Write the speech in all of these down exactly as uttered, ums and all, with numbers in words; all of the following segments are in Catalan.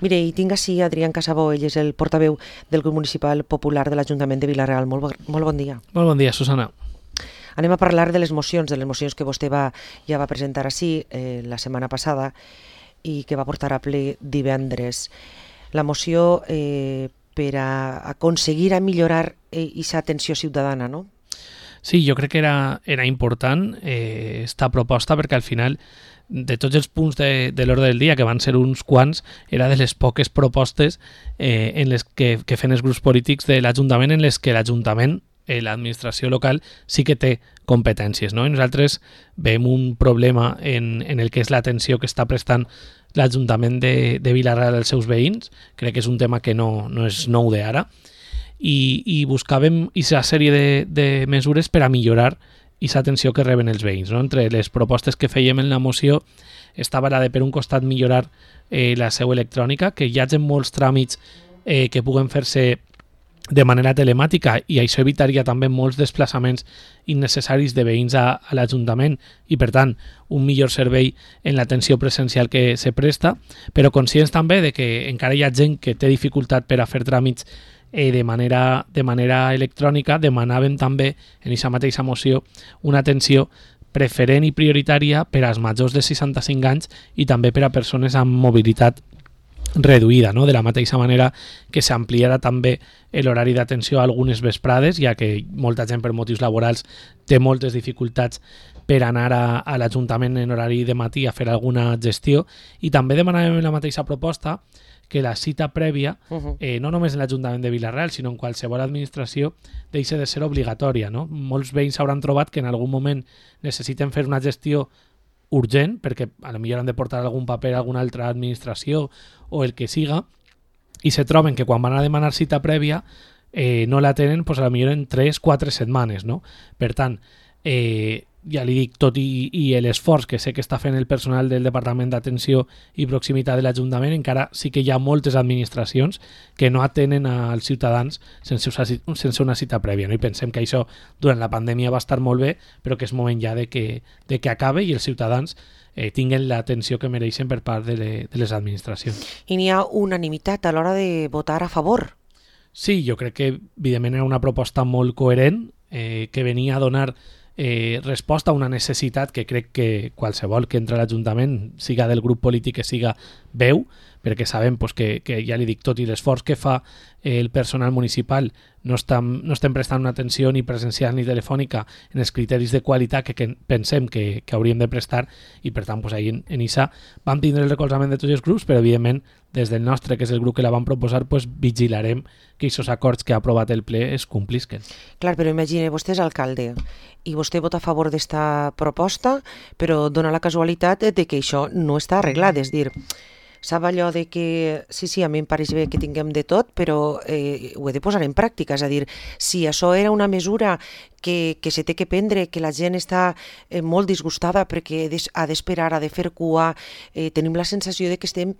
Mire, i tinc així Adrián Casabó, ell és el portaveu del grup municipal popular de l'Ajuntament de Vila-real. Molt, bo, molt bon dia. Molt bon dia, Susana. Anem a parlar de les mocions, de les mocions que vostè va, ja va presentar així eh, la setmana passada i que va portar a ple divendres. La moció eh, per a aconseguir a millorar aquesta eh, atenció ciutadana, no? Sí, jo crec que era, era important eh, esta proposta perquè al final de tots els punts de, de l'ordre del dia, que van ser uns quants, era de les poques propostes eh, en les que, que fan els grups polítics de l'Ajuntament en les que l'Ajuntament, eh, l'administració local, sí que té competències, no? I nosaltres veiem un problema en, en el que és l'atenció que està prestant l'Ajuntament de, de Vila-real als seus veïns. Crec que és un tema que no, no és nou d'ara. I, i buscàvem aquesta sèrie de, de mesures per a millorar aquesta atenció que reben els veïns, no? Entre les propostes que fèiem en la moció estava la de, per un costat, millorar eh, la seu electrònica, que hi hagi molts tràmits eh, que puguen fer-se de manera telemàtica, i això evitaria també molts desplaçaments innecessaris de veïns a, a l'Ajuntament i, per tant, un millor servei en l'atenció presencial que se presta, però conscients també de que encara hi ha gent que té dificultat per a fer tràmits Eh, de, manera, de manera electrònica. Demanàvem també en aquesta mateixa moció una atenció preferent i prioritària per als majors de seixanta-cinc anys i també per a persones amb mobilitat reduïda, no? De la mateixa manera que s'ampliarà també l'horari d'atenció a algunes vesprades, ja que molta gent per motius laborals té moltes dificultats per anar a, a l'Ajuntament en horari de matí a fer alguna gestió, i també demanàvem en la mateixa proposta que la cita prèvia, eh, no només en l'Ajuntament de Vila-real, sinó en qualsevol administració, deixa de ser obligatòria, no? Molts veïns s'hauran trobat que en algun moment necessiten fer una gestió urgent, perquè a lo millor han de portar algun paper a alguna altra administració o el que siga, i se troben que quan van a demanar cita prèvia eh, no la tenen, pues, a lo millor en tres o quatre setmanes, no? Per tant, eh, ja li dic, tot i, i l'esforç que sé que està fent el personal del Departament d'Atenció i Proximitat de l'Ajuntament, encara sí que hi ha moltes administracions que no atenen als ciutadans sense, sense una cita prèvia, no? I pensem que això durant la pandèmia va estar molt bé, però que és moment ja de que, de que acabe i els ciutadans eh, tinguen l'atenció que mereixen per part de, le, de les administracions. I n'hi ha unanimitat a l'hora de votar a favor. Sí, jo crec que evidentment era una proposta molt coherent, eh, que venia a donar Eh, resposta a una necessitat que crec que qualsevol que entra a l'Ajuntament, siga del grup polític que siga, veu, perquè sabem pues, que, que ja li dic, tot i l'esforç que fa eh, el personal municipal, no estem, no estem prestant una atenció ni presencial ni telefònica en els criteris de qualitat que, que pensem que, que hauríem de prestar, i per tant pues, ahir en, en I S A vam tindre el recolzament de tots els grups, però evidentment des del nostre, que és el grup que la vam proposar, pues, vigilarem que aquests acords que ha aprovat el ple es complisquen. Clar, però imagine, vostè és alcalde i vostè vota a favor d'esta proposta, però dona la casualitat de que això no està arreglat, és dir, sap allò de que, sí, sí, a mi em pareix bé que tinguem de tot, però eh, ho he de posar en pràctica, és a dir, si això era una mesura que, que se té que prendre, que la gent està eh, molt disgustada perquè ha d'esperar, ha de fer cua, eh, tenim la sensació de que estem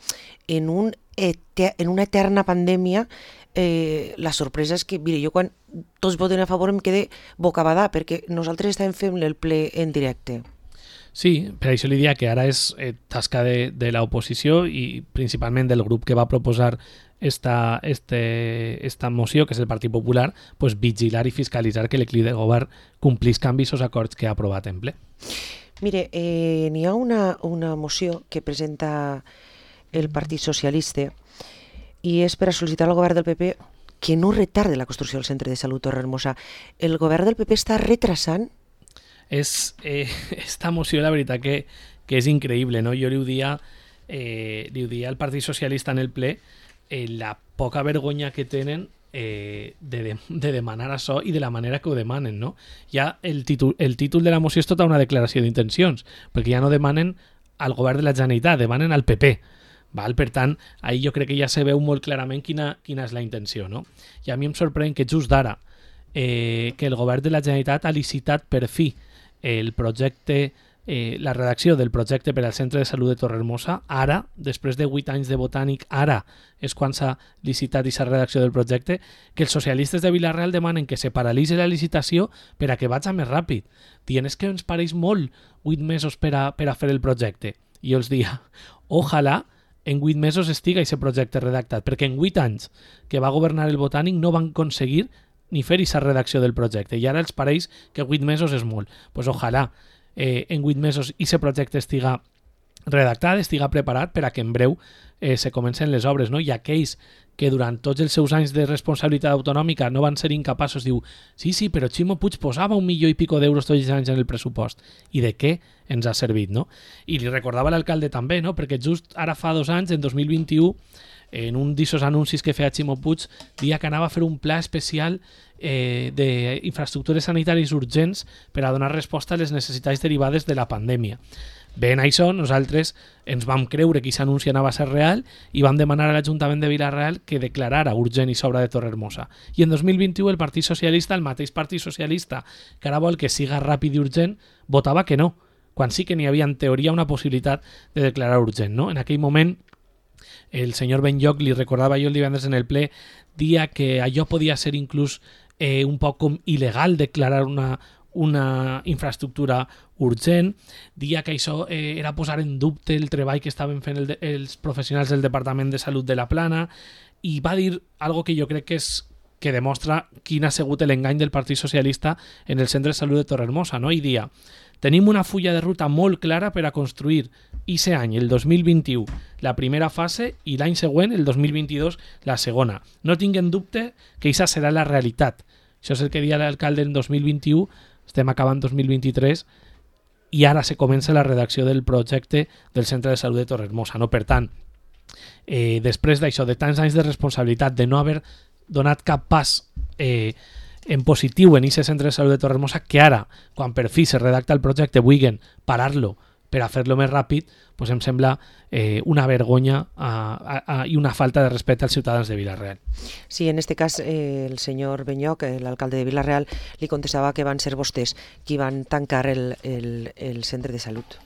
en, un eter, en una eterna pandèmia. Eh, la sorpresa és que, mire, jo quan tots voten a favor em quedé bocabadà, perquè nosaltres estàvem fent el ple en directe. Sí, per això li diria que ara és eh, tasca de, de l'oposició i principalment del grup que va proposar esta, este, esta moció, que és el Partit Popular, pues, vigilar i fiscalitzar que l'equip de govern complís canvis als acords que ha aprovat en ple. Mire, eh, n'hi ha una, una moció que presenta el Partit Socialista i és per a sol·licitar al govern del P P que no retarde la construcció del centre de salut Torrehermosa. El govern del P P està retrasant? És, eh, esta moció, la veritat que, que és increïble, no? Jo li ho dia, eh, li ho dia al Partit Socialista en el ple, eh, la poca vergonya que tenen eh, de, de, de demanar això i de la manera que ho demanen, no? Ja el títol, el títol de la moció és tota una declaració d'intencions, perquè ja no demanen al govern de la Generalitat, demanen al P P. Val? Per tant, ahir jo crec que ja se veu molt clarament quina, quina és la intenció, no? I a mi em sorprèn que just d'ara eh, que el govern de la Generalitat ha licitat per fi el projecte, eh, la redacció del projecte per al Centre de Salut de Torrehermosa, ara, després de vuit anys de botànic, ara és quan s'ha licitat aquesta redacció del projecte, que els socialistes de Vila-real demanen que se paralitzi la licitació per a que vagi més ràpid. Dient, és que ens pareix molt vuit mesos per a, per a fer el projecte. I jo els dia, ojalà en vuit mesos estiga aquest projecte redactat, perquè en vuit anys que va governar el Botànic no van aconseguir ni fer aquesta redacció del projecte, i ara els pareix que vuit mesos és molt. Doncs pues ojalà eh, en vuit mesos aquest projecte estiga redactat, estiga preparat per a que en breu eh, se comencen les obres, no? I aquells que durant tots els seus anys de responsabilitat autonòmica no van ser incapaços, diu, sí, sí, però Ximo Puig posava un milió i pico d'euros tots els anys en el pressupost. I de què ens ha servit, no? I li recordava l'alcalde també, no? Perquè just ara fa dos anys, en dos mil vint-i-u, en un d'aquests anuncis que feia Ximo Puig, dia que anava a fer un pla especial eh, d'infraestructures sanitàries urgents per a donar resposta a les necessitats derivades de la pandèmia. Bé, en això nosaltres ens vam creure que aquest anunci anava a ser real i vam demanar a l'Ajuntament de Vila-real que declarara urgent i sobra de Torrehermosa. I en dos mil vint-i-u el Partit Socialista, el mateix Partit Socialista que ara vol que siga ràpid i urgent, votava que no, quan sí que n'hi havia en teoria una possibilitat de declarar urgent, no? En aquell moment el senyor Benlloch li recordava jo el divendres en el ple, dia que allò podia ser inclús eh, un poc com il·legal declarar una, una infraestructura urgent, dia que això eh, era posar en dubte el treball que estaven fent el de, els professionals del Departament de Salut de la Plana, i va dir algo que jo crec que és que demostra quin ha sigut l'engany del Partit Socialista en el Centre de Salut de Torrehermosa, no? I dia, tenim una fulla de ruta molt clara per a construir aquest any, el dos mil vint-i-u, la primera fase, i l'any següent, el dos mil vint-i-dos, la segona. No tinguen dubte que aquesta serà la realitat. Això és el que deia l'alcalde en dos mil vint-i-u, estem acabant dos mil vint-i-tres, i ara se comença la redacció del projecte del Centre de Salut de Torrehermosa. No? Per tant, eh, després d'això, de tants anys de responsabilitat, de no haver donat cap pas eh, en positiu en aquest Centre de Salut de Torrehermosa, que ara, quan per fi se redacta el projecte, vulguin parar-lo per a fer-lo més ràpid, pues em sembla eh, una vergonya a, a, a, i una falta de respecte als ciutadans de Vila-real. Sí, en este cas eh, el senyor Benlloch, l'alcalde de Vila-real, li contestava que van ser vostès qui van tancar el, el, el centre de salut.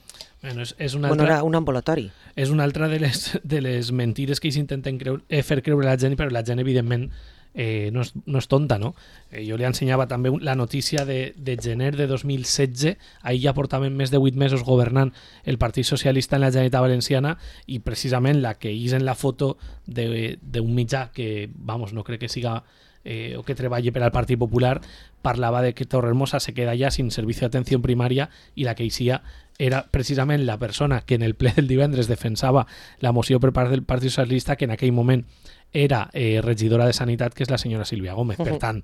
Bueno, és, és una bueno, altra, era un ambulatori. És una altra de les, de les mentires que s'intenten creure, eh, fer creure a la gent, però la gent, evidentment, eh, no, és, no és tonta, no? Eh, jo li ensenyava també la notícia de, de gener de dos mil setze, ahir ja portaven més de vuit mesos governant el Partit Socialista en la Generalitat Valenciana, i precisament la que és en la foto d'un mitjà que, vamos, no crec que siga eh, o que treballi per al Partit Popular, parlava de que Torrehermosa se queda ja sin servicio de atenció primària, i la que eixia era precisament la persona que en el ple del divendres defensava la moció per part del Partit Socialista, que en aquell moment era eh, regidora de Sanitat, que és la senyora Sílvia Gómez. Uh-huh. Per tant,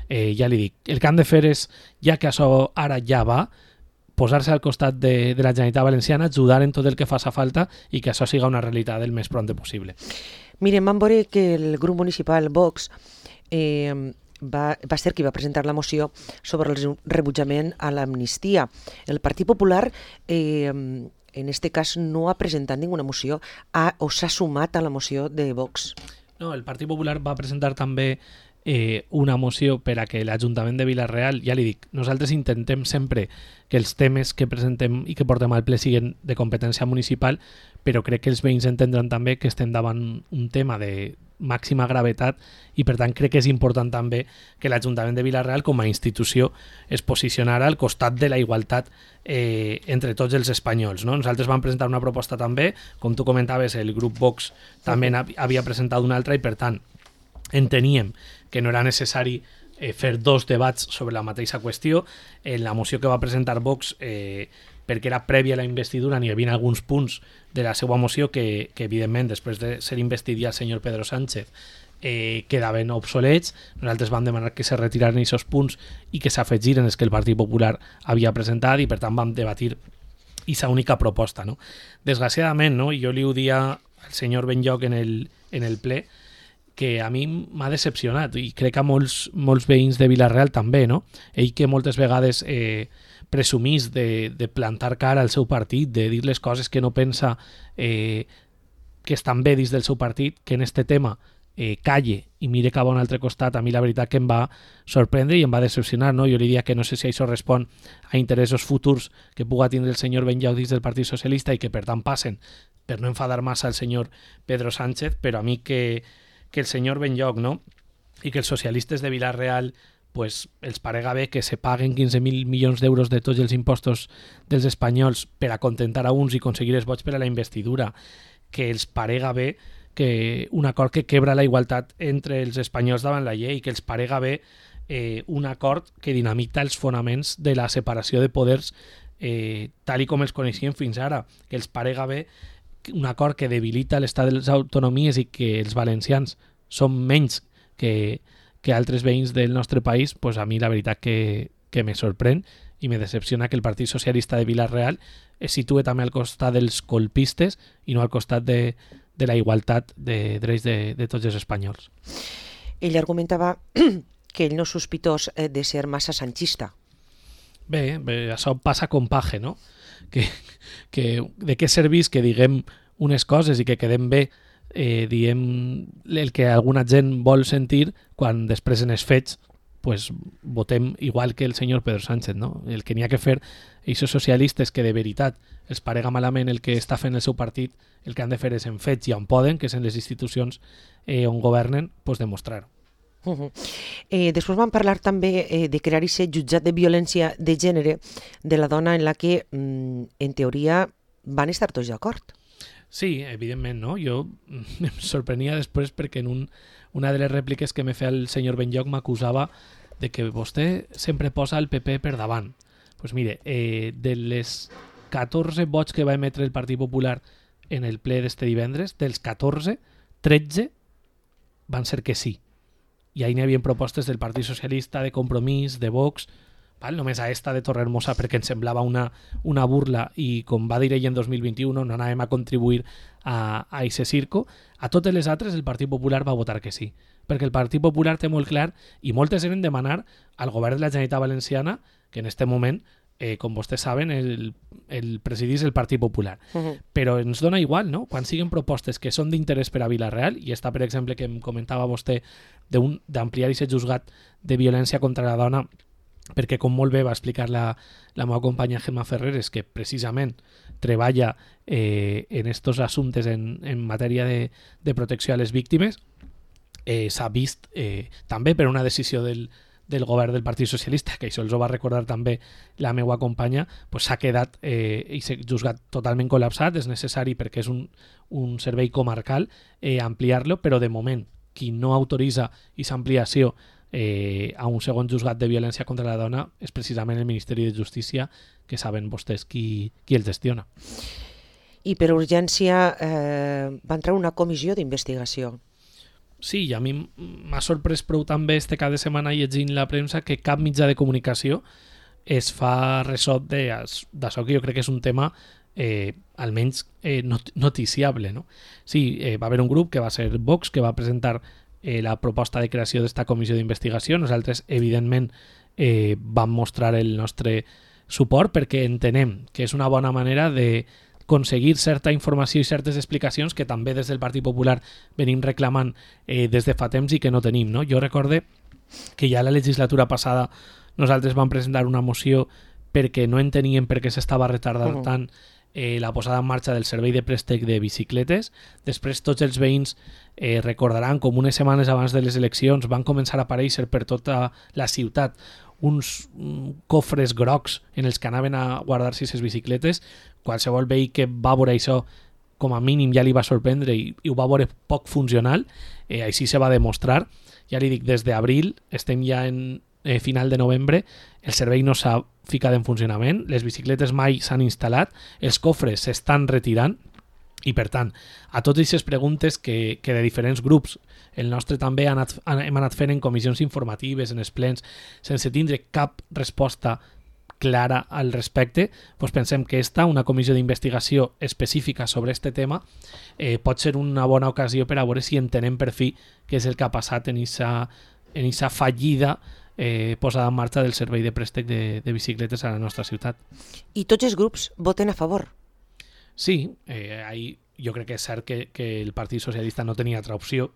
eh, ja li dic, el que han de fer és, ja que això ara ja va, posar-se al costat de, de la Generalitat Valenciana, ajudar en tot el que faci falta i que això siga una realitat el més pront possible. Miren, vam veure que el grup municipal Vox eh, va, va ser qui va presentar la moció sobre el rebutjament a l'amnistia. El Partit Popular eh, en este cas no ha presentat ninguna moció ha, o s'ha sumat a la moció de Vox. No, el Partit Popular va presentar també eh, una moció per a que l'Ajuntament de Vila-real, ja li dic, nosaltres intentem sempre que els temes que presentem i que portem al ple siguin de competència municipal, però crec que els veïns entendran també que estem davant un tema de màxima gravetat i per tant crec que és important també que l'Ajuntament de Vila-real com a institució es posicionara al costat de la igualtat eh, entre tots els espanyols, no? Nosaltres vam presentar una proposta també, com tu comentaves, el grup Vox també havia presentat una altra i per tant enteníem que no era necessari eh, fer dos debats sobre la mateixa qüestió. En la moció que va presentar Vox, eh, perquè era prèvia a la investidura, n'hi havia alguns punts de la seva moció que, que evidentment, després de ser investit ja el senyor Pedro Sánchez, eh, quedaven obsolets. Nosaltres vam demanar que se retiraren aquests punts i que s'afegiren els que el Partit Popular havia presentat i per tant vam debatir aquesta única proposta, no? Desgraciadament, no? I jo li ho dia al senyor Benlloch en el, en el ple, que a mi m'ha decepcionat i crec que a molts, molts veïns de Vila-real també, no? Ell que moltes vegades eh, presumís de, de plantar cara al seu partit, de dir les coses que no pensa eh, que estan bé dins del seu partit, que en este tema eh, calle i mire cap a un altre costat, a mi la veritat que em va sorprendre i em va decepcionar, no? Jo li diria que no sé si això respon a interessos futurs que puga tindre el senyor Benlloch dins del Partit Socialista i que per tant passen per no enfadar massa al senyor Pedro Sánchez, però a mi que que el senyor Benlloch, no? I que els socialistes de Vila-real pues, els parega bé que se paguen quinze mil milions d'euros de tots els impostos dels espanyols per a contentar a uns i aconseguir els vots per a la investidura, que els parega bé que un acord que quebra la igualtat entre els espanyols davant la llei, que els parega bé eh, un acord que dinamita els fonaments de la separació de poders eh, tal i com els coneixíem fins ara, que els parega bé un acord que debilita l'estat de les autonomies i que els valencians són menys que, que altres veïns del nostre país, pues a mi la veritat que, que me sorprèn i me decepciona que el Partit Socialista de Vila-real es situe també al costat dels colpistes i no al costat de, de la igualtat de drets de, de tots els espanyols. Ell argumentava que ell no és sospitós de ser massa sanchista. Bé, bé, això passa com paje, no? Que, que de què serveix que diguem unes coses i que quedem bé eh, diem el que alguna gent vol sentir quan després en els fets pues, votem igual que el senyor Pedro Sánchez, no? El que n'hi ha que fer, aquests socialistes que de veritat els parega malament el que està fent el seu partit, el que han de fer és en fets i on poden, que és en les institucions eh, on governen, pues demostrar-ho. Uh-huh. Eh, després vam parlar també eh, de crear aquest jutjat de violència de gènere de la dona en la que, mm, en teoria, van estar tots d'acord. Sí, evidentment, no? Jo em sorprenia després perquè en un, una de les rèpliques que me feia el senyor Benlloch m'acusava de que vostè sempre posa el P P per davant. Doncs pues mire, eh, de les catorze vots que va emetre el Partit Popular en el ple d'este divendres, dels catorze, tretze van ser que sí. I ahí n'hi havia propostes del Partit Socialista, de Compromís, de Vox, val? Només a esta de Torrehermosa perquè ens semblava una, una burla i com va dir ell en dos mil vint-i-u no anàvem a contribuir a aquest circo. A totes les altres el Partit Popular va votar que sí, perquè el Partit Popular té molt clar i moltes eren demanar al govern de la Generalitat Valenciana que en este moment, eh, com vostès saben, el, el presidís el Partit Popular. Uh-huh. Però ens dona igual, no? Quan siguen propostes que són d'interès per a Vila-real, i està, per exemple, que em comentava vostè d'ampliar aquest juzgat de violència contra la dona, perquè com molt bé va explicar la, la meva companya Gemma Ferreres, que precisament treballa eh, en estos assumptes en, en matèria de, de protecció a les víctimes, eh, s'ha vist eh, també per una decisió del, del govern del Partit Socialista, que això els ho va recordar també la meva companya, pues s'ha quedat eh, i s'ha juzgat totalment col·lapsat. És necessari perquè és un, un servei comarcal eh, ampliar-lo, però de moment qui no autoritza aquesta ampliació eh, a un segon juzgat de violència contra la dona és precisament el Ministeri de Justícia, que saben vostès qui, qui el gestiona. I per urgència eh, va entrar una comissió d'investigació. Sí, i a mi m'ha sorprès prou també este cap de setmana llegint la premsa que cap mitjà de comunicació es fa ressò d'això, que jo crec que és un tema eh, almenys eh, not noticiable, no? Sí, eh, va haver un grup que va ser Vox, que va presentar eh, la proposta de creació d'esta comissió d'investigació. Nosaltres, evidentment, eh, vam mostrar el nostre suport perquè entenem que és una bona manera de aconseguir certa informació i certes explicacions que també des del Partit Popular venim reclamant eh, des de fa temps i que no tenim, no? Jo recorde que ja la legislatura passada nosaltres vam presentar una moció perquè no enteníem per què s'estava retardant uh -huh. tant eh, la posada en marxa del servei de préstec de bicicletes. Després tots els veïns eh, recordaran com unes setmanes abans de les eleccions van començar a aparèixer per tota la ciutat uns cofres grocs en els que anaven a guardar-se aquestes bicicletes. Qualsevol veí que va veure això com a mínim ja li va sorprendre i, i ho va veure poc funcional. Eh, així se va demostrar. Ja li dic, des d'abril, estem ja en eh, final de novembre, el servei no s'ha ficat en funcionament, les bicicletes mai s'han instal·lat, els cofres s'estan retirant i, per tant, a totes aquestes preguntes que, que de diferents grups, el nostre també ha anat, hem anat fent en comissions informatives, en els plens, sense tindre cap resposta clara al respecte, doncs pensem que esta, una comissió d'investigació específica sobre aquest tema, eh, pot ser una bona ocasió per a veure si entenem per fi què és el que ha passat en aquesta en aquesta fallida eh, posada en marxa del servei de préstec de, de bicicletes a la nostra ciutat. I tots els grups voten a favor? Sí, eh, ahí jo crec que és cert que, que el Partit Socialista no tenia altra opció.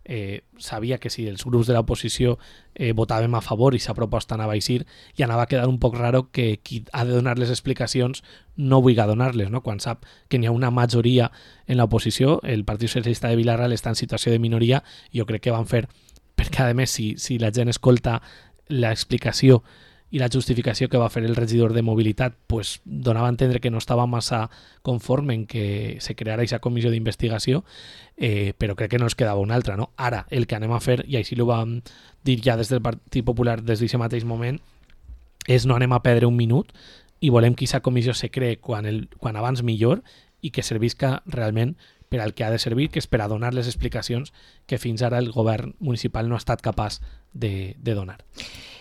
Eh, sabia que si els grups de l'oposició eh, votàvem a favor i sa proposta anava a eixir, i anava a quedar un poc raro que qui ha de donar les explicacions no vulgui donar-les, no? Quan sap que n'hi ha una majoria en l'oposició. El Partit Socialista de Vila-real està en situació de minoria i jo crec que van fer, perquè a més si, si la gent escolta l'explicació i la justificació que va fer el regidor de Mobilitat pues, donava a entendre que no estava massa conforme en que se creara aquesta comissió d'investigació, eh, però crec que no ens quedava una altra. No? Ara, el que anem a fer, i així ho vam dir ja des del Partit Popular des d'aquest mateix moment, és no anem a perdre un minut i volem que aquesta comissió se cree quan, el, quan abans millor i que servisca realment per al que ha de servir, que és per a donar les explicacions que fins ara el govern municipal no ha estat capaç de, de donar.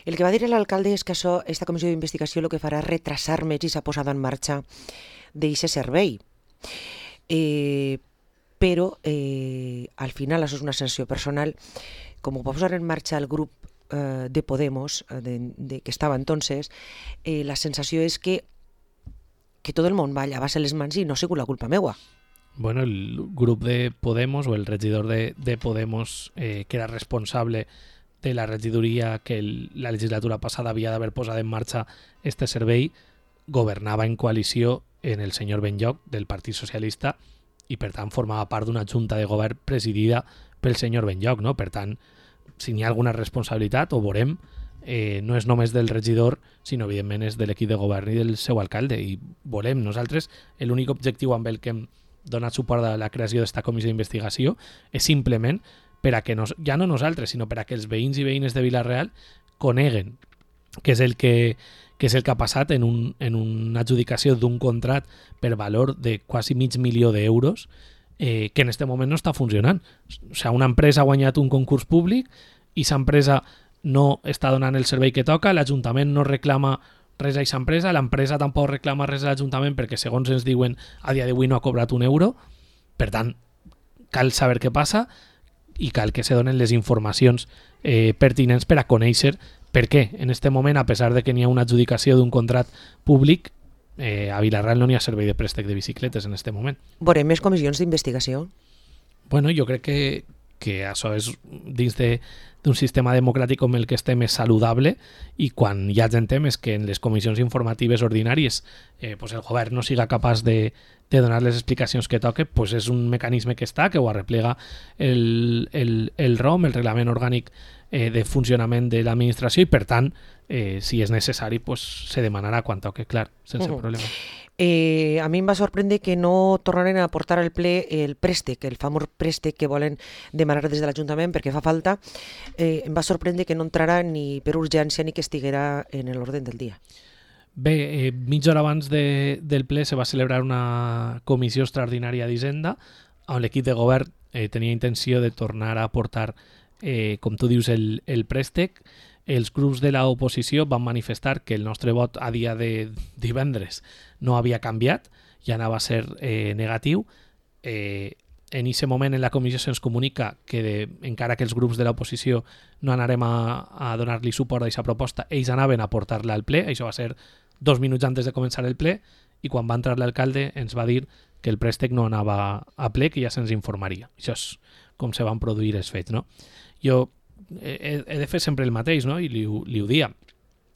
El que va dir l'alcalde és que això, esta comissió d'investigació el que farà és retrasar més i s'ha posat en marxa d'aquest servei. Eh, però eh, al final, això és una sensació personal, com ho va posar en marxa el grup eh, de Podemos, eh, de, de, que estava entonces, eh, la sensació és que, que tot el món va llevar-se les mans i no ha sigut la culpa meua. Bueno, el grup de Podemos o el regidor de, de Podemos eh, que era responsable de la regidoria que el, la legislatura passada havia d'haver posat en marxa este servei, governava en coalició en el senyor Benlloch del Partit Socialista i per tant formava part d'una junta de govern presidida pel senyor Benlloch, no? Per tant, si n'hi ha alguna responsabilitat, ho veurem, eh, no és només del regidor, sinó evidentment és de l'equip de govern i del seu alcalde, i volem nosaltres, l'únic objectiu amb el que hem donat suport a la creació d'esta comissió d'investigació és simplement per a que, nos, ja no nosaltres, sinó per a que els veïns i veïnes de Vila-real coneguen què és el que, que és el que ha passat en, un, en una adjudicació d'un contract per valor de quasi mig milió d'euros eh, que en aquest moment no està funcionant. O sigui, una empresa ha guanyat un concurs públic i aquesta empresa no està donant el servei que toca, l'Ajuntament no reclama res a aquesta empresa, l'empresa tampoc reclama res a l'Ajuntament perquè segons ens diuen a dia d'avui no ha cobrat un euro, per tant cal saber què passa i cal que se donen les informacions eh, pertinents per a conèixer per què en aquest moment, a pesar de que n'hi ha una adjudicació d'un contract públic, eh, a Vila-real no n'hi ha servei de préstec de bicicletes en aquest moment. Veurem més comissions d'investigació? Bueno, jo crec que, que això és dins de d'un sistema democràtic com el que estem és saludable i quan hi ha gent temes que en les comissions informatives ordinàries eh, pues el govern no siga capaç de, de donar les explicacions que toque, pues és un mecanisme que està, que ho arreplega el, el, el R O M, el Reglament Orgànic eh, de Funcionament de l'Administració, i per tant, eh, si és necessari, pues se demanarà quan toque, clar, sense uh-huh. problema. Eh, a mi em va sorprendre que no tornaren a portar al ple el préstec, el famós préstec que volen demanar des de l'Ajuntament perquè fa falta. Eh, em va sorprendre que no entrarà ni per urgència ni que estiguera en l'ordre del dia. Bé, eh, mitja hora abans de, del ple se va celebrar una comissió extraordinària d'Hisenda on l'equip de govern eh, tenia intenció de tornar a portar, eh, com tu dius, el, el préstec. Els grups de l'oposició van manifestar que el nostre vot a dia de divendres no havia canviat i anava a ser eh, negatiu. Eh, en aquest moment en la comissió se'ns comunica que de, encara que els grups de l'oposició no anarem a, a donar-li suport a aquesta proposta, ells anaven a portar-la al ple. Això va ser dos minuts antes de començar el ple i quan va entrar l'alcalde ens va dir que el préstec no anava a ple, que ja se'ns informaria. Això és com se van produir els fets, no? Jo he, he de fer sempre el mateix, no? I li, li ho dia.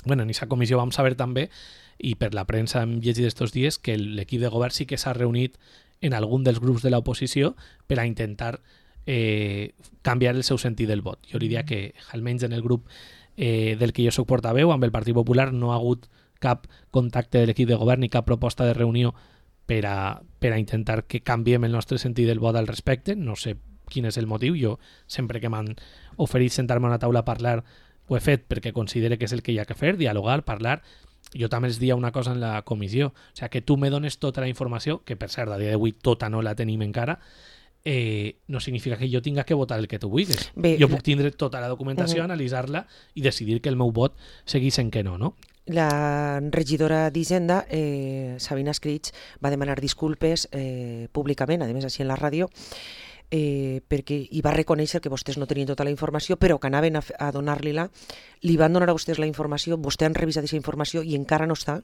Bueno, en aquesta comissió vam saber també, i per la premsa hem llegit estos dies, que l'equip de govern sí que s'ha reunit en algun dels grups de l'oposició per a intentar eh, canviar el seu sentit del vot. Jo li diria que, almenys en el grup eh, del que jo soc portaveu, amb el Partit Popular, no ha hagut cap contacte de l'equip de govern ni cap proposta de reunió per a, per a intentar que canviem el nostre sentit del vot al respecte. No sé quin és el motiu. Jo sempre que m'han oferit sentar-me a una taula a parlar ho he fet perquè considere que és el que hi ha que fer, dialogar, parlar. Jo també els dia una cosa en la comissió, o sigui, que tu me dones tota la informació, que per cert a dia d'avui tota no la tenim encara, eh, no significa que jo tinga que votar el que tu vulguis. Bé, jo puc tindre tota la documentació, uh-huh. analitzar-la i decidir que el meu vot seguís en que no, no? La regidora d'Hisenda, eh, Sabina Escrits, va demanar disculpes eh, públicament, a més així en la ràdio, eh, perquè hi va reconèixer que vostès no tenien tota la informació, però que anaven a, a donar-li-la. Li van donar a vostès la informació, vostè han revisat aquesta informació i encara no està?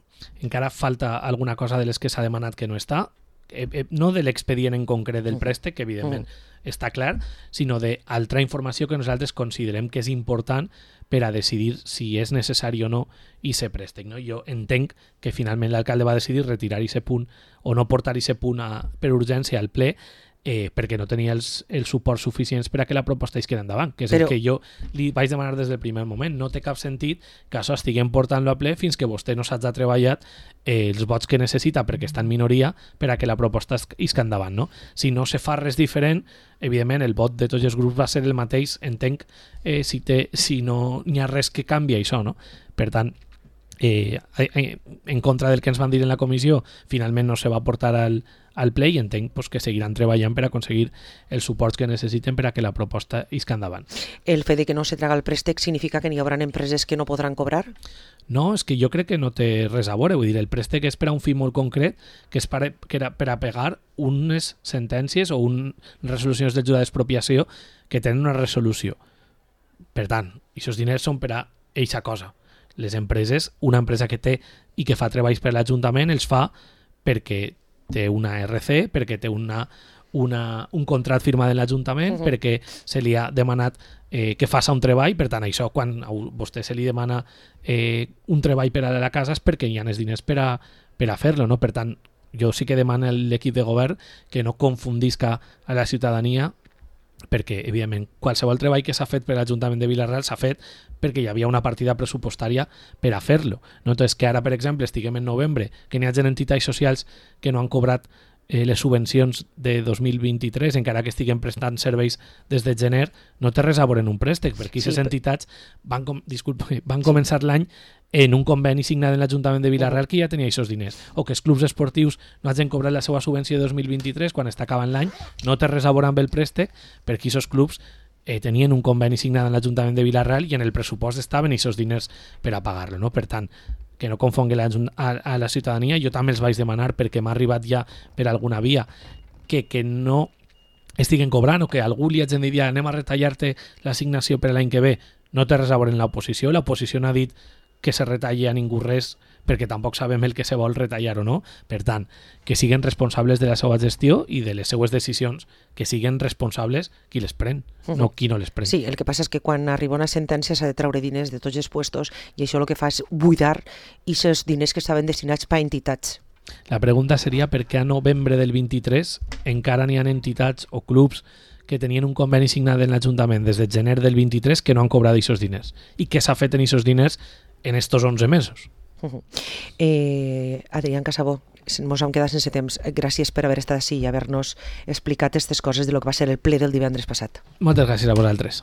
Encara falta alguna cosa de les que s'ha demanat que no està, eh, eh, no de l'expedient en concret del préstec, que evidentment mm. està clar, sinó d'altra informació que nosaltres considerem que és important per a decidir si és necessari o no i se préstec. No? Jo entenc que finalment l'alcalde va decidir retirar aquest punt o no portar aquest punt a, per urgència al ple, eh, perquè no tenia els, els suports suficients per a que la proposta es quedi endavant, que és Però... el que jo li vaig demanar des del primer moment. No té cap sentit que això estiguem portant-lo a ple fins que vostè no s'hagi treballat eh, els vots que necessita perquè està en minoria per a que la proposta es isca endavant. No? Si no se fa res diferent, evidentment el vot de tots els grups va ser el mateix, entenc, eh, si, té, si no hi ha res que canvia això. No? Per tant, eh, en contra del que ens van dir en la comissió, finalment no se va portar al, al ple i entenc pues, que seguiran treballant per aconseguir els suports que necessiten per a que la proposta isca endavant. El fet de que no se traga el préstec significa que n'hi haurà empreses que no podran cobrar? No, és que jo crec que no té res a veure. Vull dir, el préstec és per a un fi molt concret, que és per a, que era per a pegar unes sentències o un, resolucions del jutjat d'expropiació que tenen una resolució. Per tant, aquests diners són per a eixa cosa. Les empreses, una empresa que té i que fa treballs per l'Ajuntament, els fa perquè té una R C, perquè té una, una, un contracte firmat de l'Ajuntament, uh-huh. perquè se li ha demanat eh, que faça un treball. Per tant, això, quan a vostè se li demana eh, un treball per a la casa és perquè hi ha els diners per a, per a fer-lo. No? Per tant, jo sí que demano a l'equip de govern que no confundisca a la ciutadania, perquè, evidentment, qualsevol treball que s'ha fet per l'Ajuntament de Vila-real s'ha fet perquè hi havia una partida pressupostària per a fer-lo. No? Entonces, que ara, per exemple, estiguem en novembre, que n'hi hagi entitats socials que no han cobrat eh, les subvencions de dos mil vint-i-tres, encara que estiguen prestant serveis des de gener, no té res a veure en un préstec, perquè aquestes sí, entitats van, com, disculpa, van començar l'any en un conveni signat en l'Ajuntament de Vila-real que ja tenia aquests diners, o que els clubs esportius no hagin cobrat la seva subvenció de dos mil vint-i-tres quan està acabant l'any, no té res a veure amb el préstec, perquè aquests clubs eh, tenien un conveni signat en l'Ajuntament de Vila-real i en el pressupost estaven aquests diners per a pagar-lo. No? Per tant, que no confongui la, a, a la ciutadania. Jo també els vaig demanar, perquè m'ha arribat ja per alguna via, que, que no estiguen cobrant o que algú li hagin dit ja anem a retallar-te l'assignació per l'any que ve. No té res a veure en l'oposició. L'oposició no ha dit que se retalli a ningú res perquè tampoc sabem el que se vol retallar o no. Per tant, que siguin responsables de la seva gestió i de les seues decisions, que siguin responsables qui les pren, uh-huh. no qui no les pren. Sí, el que passa és que quan arriba una sentència s'ha de treure diners de tots els puestos i això el que fa és buidar aquests diners que estaven destinats per a entitats. La pregunta seria per què a novembre del vint-i-tres encara n'hi ha entitats o clubs que tenien un conveni signat en l'Ajuntament des de gener del vint-i-tres que no han cobrat aquests diners. I què s'ha fet en aquests diners en estos onze mesos? Uh-huh. eh, Adrián Casabó, ens hem quedat sense temps. Gràcies per haver estat així i haver-nos explicat aquestes coses de lo que va ser el ple del divendres passat. Moltes gràcies a vosaltres.